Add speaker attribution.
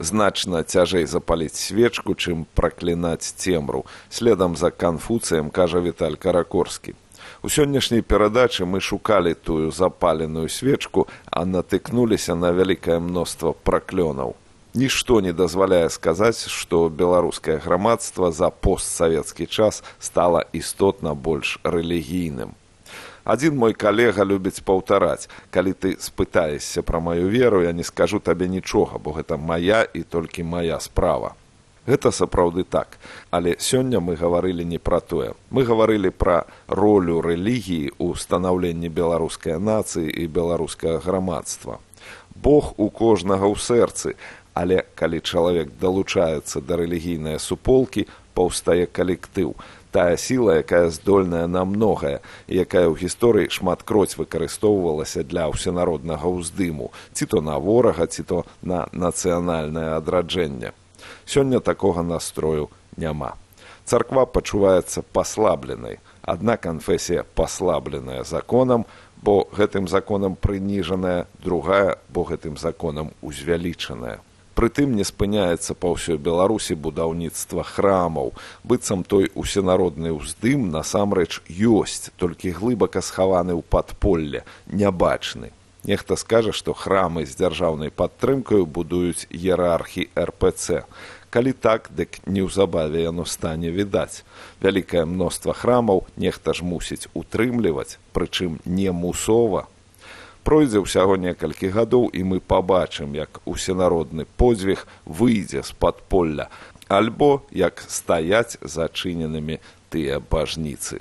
Speaker 1: Значна цяжэй запаліць свечку, чым праклінаць цемру. Следам за Канфуцыем кажа Віталь Каракорскі. У сённяшняй перадачы мы шукалі тую запаленую свечку, а натыкнуліся на вялікае мноства праклёнаў. Нішто не дазваляе сказаць, што беларускае грамадства за постсавецкі час стала істотна больш рэлігійным. Адзін мой калега любіць паўтараць: калі ты спытаешся пра маю веру, я не скажу табе нічога, бо гэта мая і толькі мая справа. Гэта сапраўды так, але сёння мы гаварылі не пра тое. Мы гаварылі пра ролю рэлігіі ў станаўленні беларускай нацыі і беларускага грамадства. Бог у кожнага ў сэрцы, але калі чалавек далучаецца да рэлігійнай суполкі, паўстае калектыў. Тая сіла, якая здольная на многае, якая ў гісторыі шматкроць выкарыстоўвалася для ўсенароднага ўздыму, ці то на ворага, ці то на нацыянальнае адраджэнне. Сёння такога настрою няма. Царква пачуваецца паслабленай. Адна канфесія паслабленая законам, бо гэтым законам прыніжаная, другая, бо гэтым законам узвялічаная. Прытым не спыняецца па ўсёй Беларусі будаўніцтва храмаў. Быццам той усенародны ўздым насамрэч ёсць, толькі глыбака схаваны ў падполле, нябачны. Нехта скажа, што храмы з дзяржаўнай падтрымкаю будуюць іерархі РПЦ. Калі так, дык неўзабаве яно стане відаць. Вялікае мноства храмаў нехта ж мусіць утрымліваць, прычым не мусова. Пройдзе ўсяго некалькі гадоў, і мы пабачым, як усенародны подзвіг выйдзе з падполля, альбо як стаяць зачыненымі тыя бажніцы.